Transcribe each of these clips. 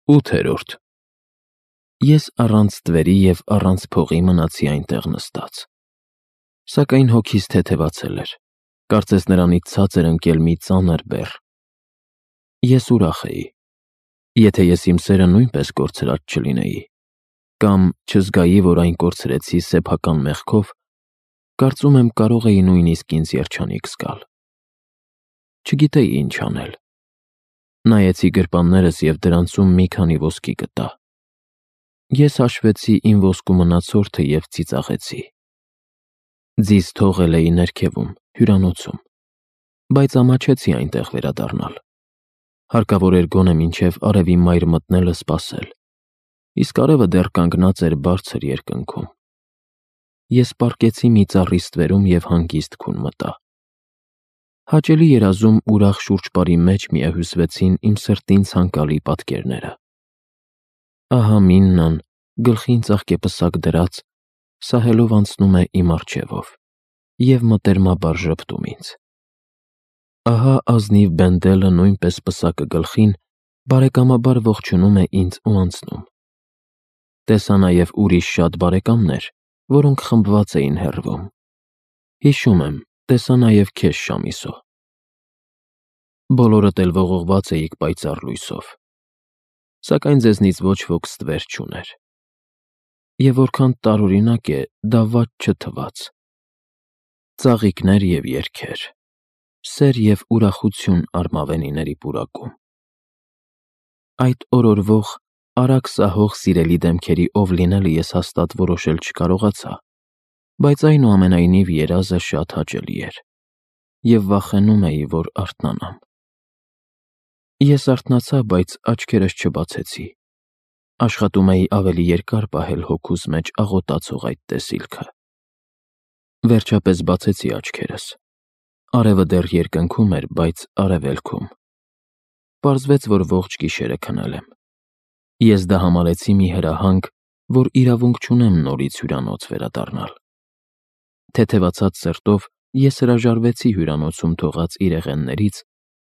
8-րդ Ես առանց ստվերի և առանց փողի մնացի այնտեղ նստած, սակայն հոգիս թեթևացել էր, կարծես նրանից ցած էր ընկել մի ծանր բեռ։ Ես ուրախ էի, եթե ես իմ սերը նույնպես կորցրած չլինեի, կամ չզգայի, որ այն կորցրեցի սեփական մեղքով, կարծում եմ կարող էի նույնիսկ ինձ երջանիկ զգալ։ Չգիտեի ինչ անել։ Նայեցի գրպաններս և դրանցում մի քանի ոսկի գտա։ Ես հաշվեցի իմ ոսկու մնացորդը և ծիծաղեցի։ Ձիզ թողել էի ներքևում, հյուրանոցում, բայց ամաչեցի այնտեղ վերադառնալ։ Հարկավոր էր գոնե մինչև արևի մայր մտնելը սպասել, իսկ արևը դեռ կանգնած էր բարձր երկնքում։ Ես պառկեցի մի ծառի ստվերում և հանգիստ քուն մտա։ Հաճելի երազում ուրախ շուրջպարի մեջ միահյուսվեցին իմ սրտին ցանկալի պատկերները։ Ահա Միննան, գլխին ծաղկեպսակ դրած, սահելով անցնում է իմ առջևով և մտերմաբար ժպտում ինձ։ Ահա ազնիվ Բենդելը նույնպես պսակը գլխին, բարեկամաբար ողջունում է ինձ ու անցնում։ Տեսա նաև ուրիշ շատ բարեկամներ, որոնք խմբված էին հեռվում։ Հիշում եմ, տեսա նաև քեզ, Շամիսո։ Բոլորդ էլ ողողված էիք պայծառ լույսով, սակայն ձեզնից ոչ ոք ստվեր չուներ։ Եվ որքան տարօրինակ է, դա վատ չթվաց։ Ծաղիկներ և երգեր, սեր և ուրախություն արմավենիների պուրակում։ Այդ օրորվող, արագ սահող սիրելի դեմքերի ով լինելը ես հաստատ որոշել չկարողացա, բայց այնուամենայնիվ երազը շատ հաճելի էր, և վախենում էի, որ արթնանամ։ Ես արթնացա, բայց աչքերս չբացեցի։ Աշխատում էի ավելի երկար պահել հոգուս մեջ աղոտացող այդ տեսիլքը։ Վերջապես բացեցի աչքերս։ Արևը դեռ երկնքում էր, բայց արևելքում։ Պարզվեց, որ ողջ գիշերը քնել եմ։ Ես դա համարեցի մի հրահանգ, որ իրավունք չունեմ նորից հյուրանոց վերադառնալ։ Թեթևացած սրտով ես հրաժարվեցի հյուրանոցում թողած իրեղեններից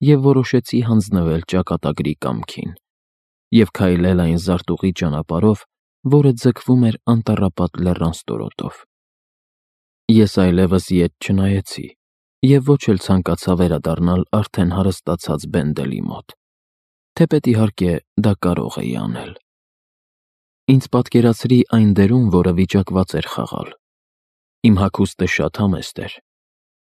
և որոշեցի հանձնվել ճակատագրի կամքին և քայլել այն զարտուղի ճանապարհով, որը ձգվում էր անտառապատ լեռան ստորոտով։ Ես այլևս ետ չնայեցի և ոչ էլ ցանկացա վերադառնալ արդեն հարստացած Բենդելի մոտ, թեպետ իհարկե դա կարող էի անել։ Ինձ պատկերացրի այն դերում, որը վիճակված էր խաղալ։ Իմ հագուստը շատ համեստ էր։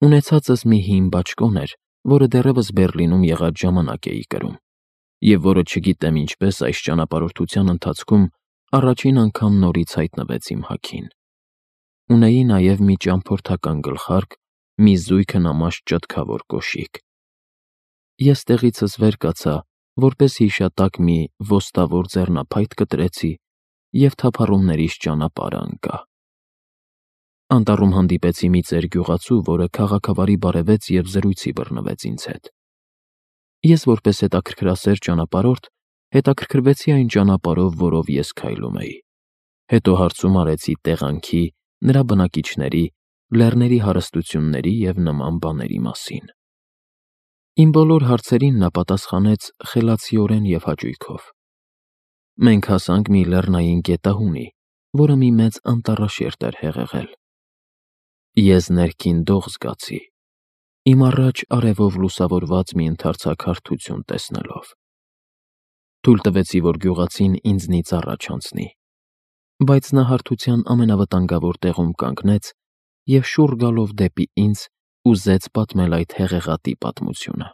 Ունեցածս մի հին բաճկոն էր, որը դեռևս Բեռլինում եղած ժամանակ էի կրում, և որը չգիտեմ ինչպես այս ճանապարհորդության ընթացքում առաջին անգամ նորից հայտնվեց իմ հագին։ Ունեի նաև մի ճամփորդական գլխարկ, մի զույգ հնամաշ ճտկավոր կոշիկ։ Ես տեղիցս վեր կացա, որպես հիշատակ մի ոստավոր ձեռնափայտ կտրեցի և թափառումներիս ճանապարհը ընկա։ Անտառում հանդիպեցի մի ծեր գյուղացու, որը քաղաքավարի բարևեց և զրույցի բռնվեց ինձ հետ։ Ես որպես հետաքրքրասեր ճանապարհորդ հետաքրքրվեցի այն ճանապարհով, որով ես քայլում էի։ Հետո հարցում արեցի տեղանքի, նրա բնակիչների, լեռների հարստությունների և նման բաների մասին։ Իմ բոլոր հարցերին նա պատասխանեց խելացիորեն և հաճույքով։ Մենք հասանք մի լեռնային գետահունի, որը մի մեծ անտառաշերտ էր հեղեղել։ Ես ներքին դող զգացի, իմ առաջ արևով լուսավորված մի ընդարձակ հարթություն տեսնելով։ Թույլ տվեցի, որ գյուղացին ինձնից առաջ անցնի, բայց նա հարթության ամենավտանգավոր տեղում կանգնեց և շուռ գալով դեպի ինձ ուզեց պատմել այդ հեղեղատի պատմությունը։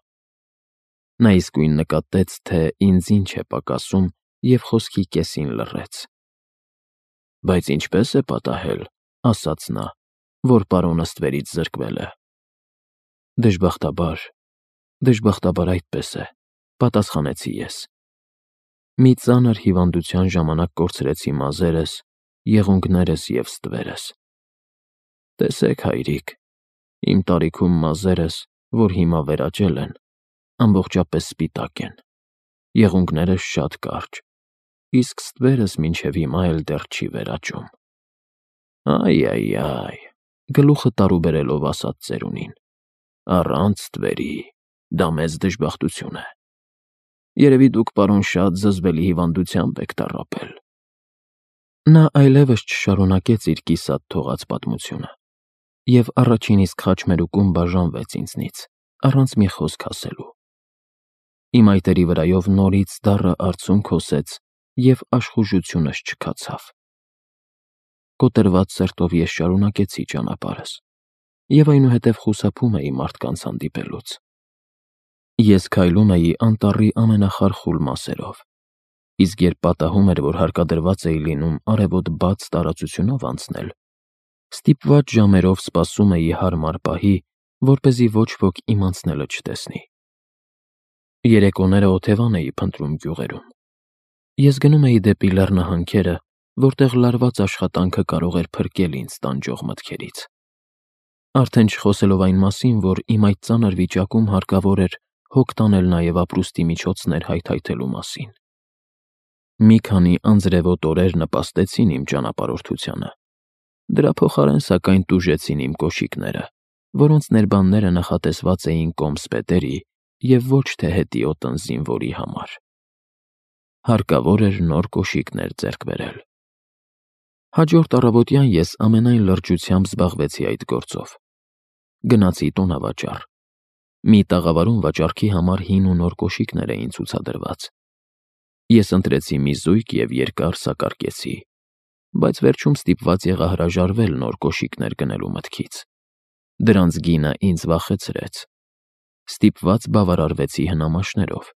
Նա իսկույն նկատեց, թե ինձ ինչ է պակասում և խոսքի կեսին լռեց։ «Բայց ինչպե՞ս է պատահել, — ասաց նա, — որ պարոնը ստվերից զրկվել է»։ Դժբախտաբար այդպես է, — պատասխանեցի ես։ Մի ծանր հիվանդության ժամանակ կորցրեցի մազերս, եղունգներս և ստվերս։ Տեսեք, հայրիկ, իմ տարիքում մազերս, որ հիմա վերաճել են, ամբողջապես սպիտակ են, եղունգներս շատ կարճ, իսկ ստվերս մինչև հիմա էլ դեռ չի վերաճում։ Այ, գլուխը տարուբերելով ասաց ծերունին, առանց ստվերի դա մեծ դժբախտություն է։ Երևի դուք, պարոն, շատ զզվելի հիվանդությամբ եք տառապել։ Նա այլևս չշարունակեց իր կիսատ թողած պատմությունը, և առաջին իսկ խաչմերուկում բաժանվեց ինձնից, առանց մի խոսք ասելու։ Իմ այտերի վրայով նորից դառը արցունք հոսեց և աշխուժությունս չքացավ։ Կոտրված սրտով ես շարունակեցի ճանապարհս և այնուհետև խուսափում էի մարդկանց հանդիպելուց։ Ես քայլում էի անտառի ամենախարխուլ մասերով, իսկ երբ պատահում էր, որ հարկադրված էի լինում արևոտ բաց տարածությունով անցնել, ստիպված ժամերով սպասում էի հարմար պահի, որպեսզի ոչ ոք իմ անցնելը չտեսնի։ Երեկոները օթևան էի փնտրում գյուղերում։ Ես գնում էի դեպի լեռնահանքերը, որտեղ լարված աշխատանքը կարող էր փրկել ինձ տանջող մտքերից։ Արդեն չխոսելով այն մասին, որ իմ այդ ծանր վիճակում հարկավոր էր հոգ տանել նաև ապրուստի միջոցներ հայթայթելու մասին։ Մի քանի անձրևոտ օրեր նպաստեցին իմ ճանապարհորդությանը։ Դրա փոխարեն, սակայն, տուժեցին իմ կոշիկները, որոնց ներբանները նախատեսված էին կոմսպետերի և ոչ թե հետիոտնի զինվորի համար։ Հարկավոր էր նոր կոշիկներ ձեռք բերել։ Հաջորդ առավոտյան ես ամենայն լրջությամբ զբաղվեցի այդ գործով։ Գնացի տոնավաճառ։ Մի տաղավարում վաճառքի համար հին ու նոր կոշիկներ էին ցուցադրված։ Ես ընտրեցի մի զույգ և երկար սակարկեցի, բայց վերջում ստիպված եղա հրաժարվել նոր կոշիկներ գնելու մտքից։ Դրանց գինը ինձ վախեցրեց։ Ստիպված բավարարվեցի հնամաշներով,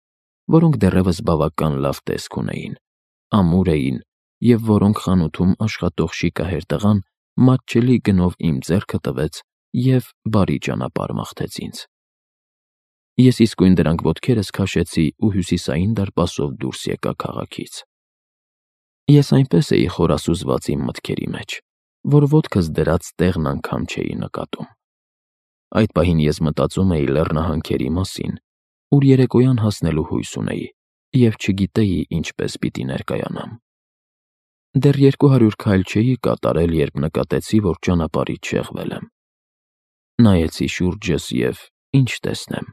որոնք դեռևս բավական լավ տեսք ունեին, ամուր էին և որոնք խանութում աշխատող շիկահեր տղան մատչելի գնով իմ ձեռքը տվեց և բարի ճանապարհ մաղթեց ինձ։ Ես իսկույն դրանք ոտքերս քաշեցի ու հյուսիսային դարպասով դուրս եկա քաղաքից։ Ես այնպես էի խորասուզված իմ մտքերի մեջ, որ ոտքս դրած տեղն անգամ չէի նկատում։ Այդ պահին ես մտածում էի լեռնահանքերի մասին, ուր երեկոյան հասնելու հույս ունեի և չգիտեի ինչպես պիտի ներկայանամ։ Դեռ 200 քայլ չէի կատարել, երբ նկատեցի, որ ճանապարհից շեղվել եմ։ Նայեցի շուրջս և ինչ տեսնեմ։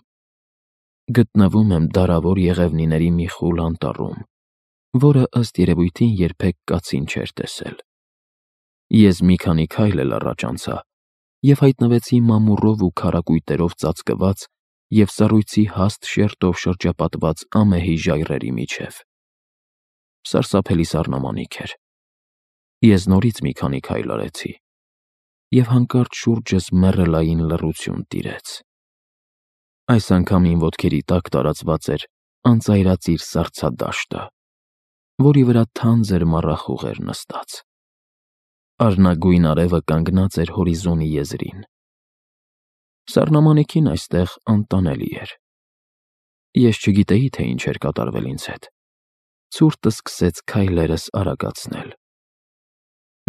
Գտնվում եմ դարավոր եղևնիների մի խուլ անտառում, որը ըստ երևույթին երբեք կացին չէր տեսել։ Ես մի քանի քայլ էլ առաջ անցա և հայտնվեցի մամուռով ու քարակույտերով ծածկված և սառույցի հաստ շերտով շրջապատված ամեհի ժայռերի միջև։ Սարսափելի սառնամանիք էր։ Ես նորից մի քանի քայլ արեցի, և հանկարծ շուրջս մեռելային լռություն տիրեց։ Այս անգամ իմ ոտքերի տակ տարածված էր անծայրածիր սառցադաշտը, որի վրա թանձր մառախուղ էր նստած։ Արնագույն արևը կանգնած էր հորիզոնի եզրին։ Սառնամանիքին այստեղ անտանելի էր։ Ես չգիտեի, թե ինչ էր կատարվել ինձ հետ։ Ցուրտը սկսեց քայլերս արագացնել։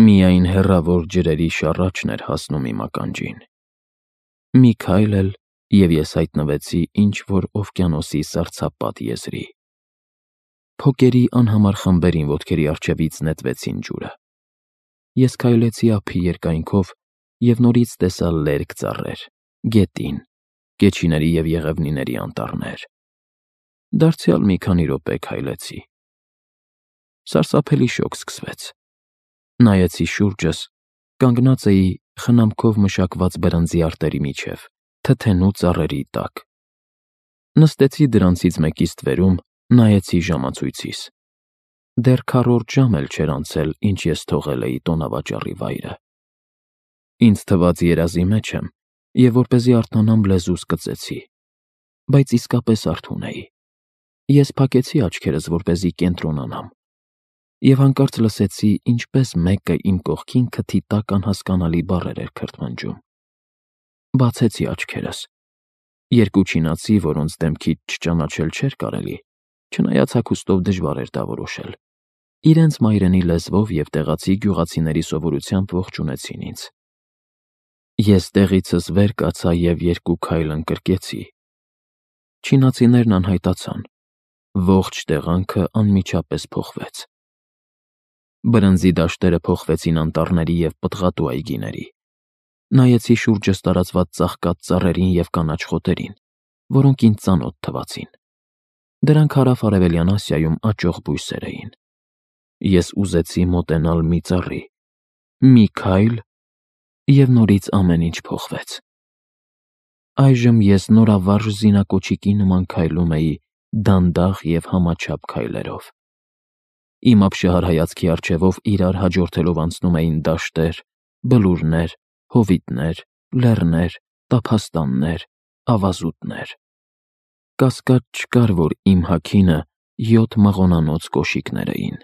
Միայն հեռավոր ջրերի շառաչն էր հասնում իմ ականջին։ Մի քայլ էլ, և ես հայտնվեցի ինչ-որ օվկիանոսի սառցապատ եզրի։ Փոկերի անհամար խմբերին ոտքերի առջևից նետվեցին ջուրը։ Ես քայլեցի ափի երկայնքով և նորից տեսա լերկ ծառեր, գետին, կեչիների և եղևնիների անտառներ։ Դարձյալ մի քանի րոպե քայլեցի։ Սարսափելի շոգ սկսվեց։ Նայեցի շուրջս, կանգնած էի խնամքով մշակված բրնձի արտերի միջև, թթենու ծառերի տակ։ Նստեցի դրանցից մեկի ստվերում, նայեցի ժամացույցիս։ Դեռ քառորդ ժամ էլ չէր անցել, ինչ ես թողել էի տոնավաճառի վայրը։ Ինձ թվաց երազի մեջ եմ, և որպեսզի արթնանամ լեզուս կծեցի, բայց իսկապես արթուն էի։ Ես փակեցի աչքերս, որպեսզի կենտրոնանամ, և հանկարծ լսեցի, ինչպես մեկը իմ կողքին քթի տակ անհասկանալի բառեր էր քրթմնջում։ Բացեցի աչքերս։ Երկու չինացի, որոնց դեմքից չճանաչել չէր կարելի, չնայած հագուստով դժվար էր դա որոշել, իրենց մայրենի լեզվով և տեղացի գյուղացիների սովորությամբ ողջունեցին ինձ։ Ես տեղիցս վեր կացա և երկու քայլ ընկրկեցի։ Չինացիներն անհայտացան։ Ողջ տեղանքը անմիջապես փոխվեց։ Բրնձի դաշտերը փոխվեցին անտառների և պտղատու այգիների։ Նայեցի շուրջս տարածված ծաղկած ծառերին և կանաչ խոտերին, որոնք ինձ ծանոթ թվացին։ Դրանք հարավ-արևելյան Ասիայում աճող բույսեր էին։ Ես ուզեցի մոտենալ մի ծառի, մի քայլ, և նորից ամեն ինչ փոխվեց։ Այժմ ես նորավարժ զինակոչիկի նման քայլում էի դանդաղ և համաչափ քայլերով։ Իմ ապշահար հայացքի առջևով իրար հաջորդելով անցնում էին դաշտեր, բլուրներ, հովիտներ, լեռներ, տափաստաններ, ավազուտներ։ Կասկած չկար, որ իմ հագինը 7 մաղոնանոց կոշիկներ էին։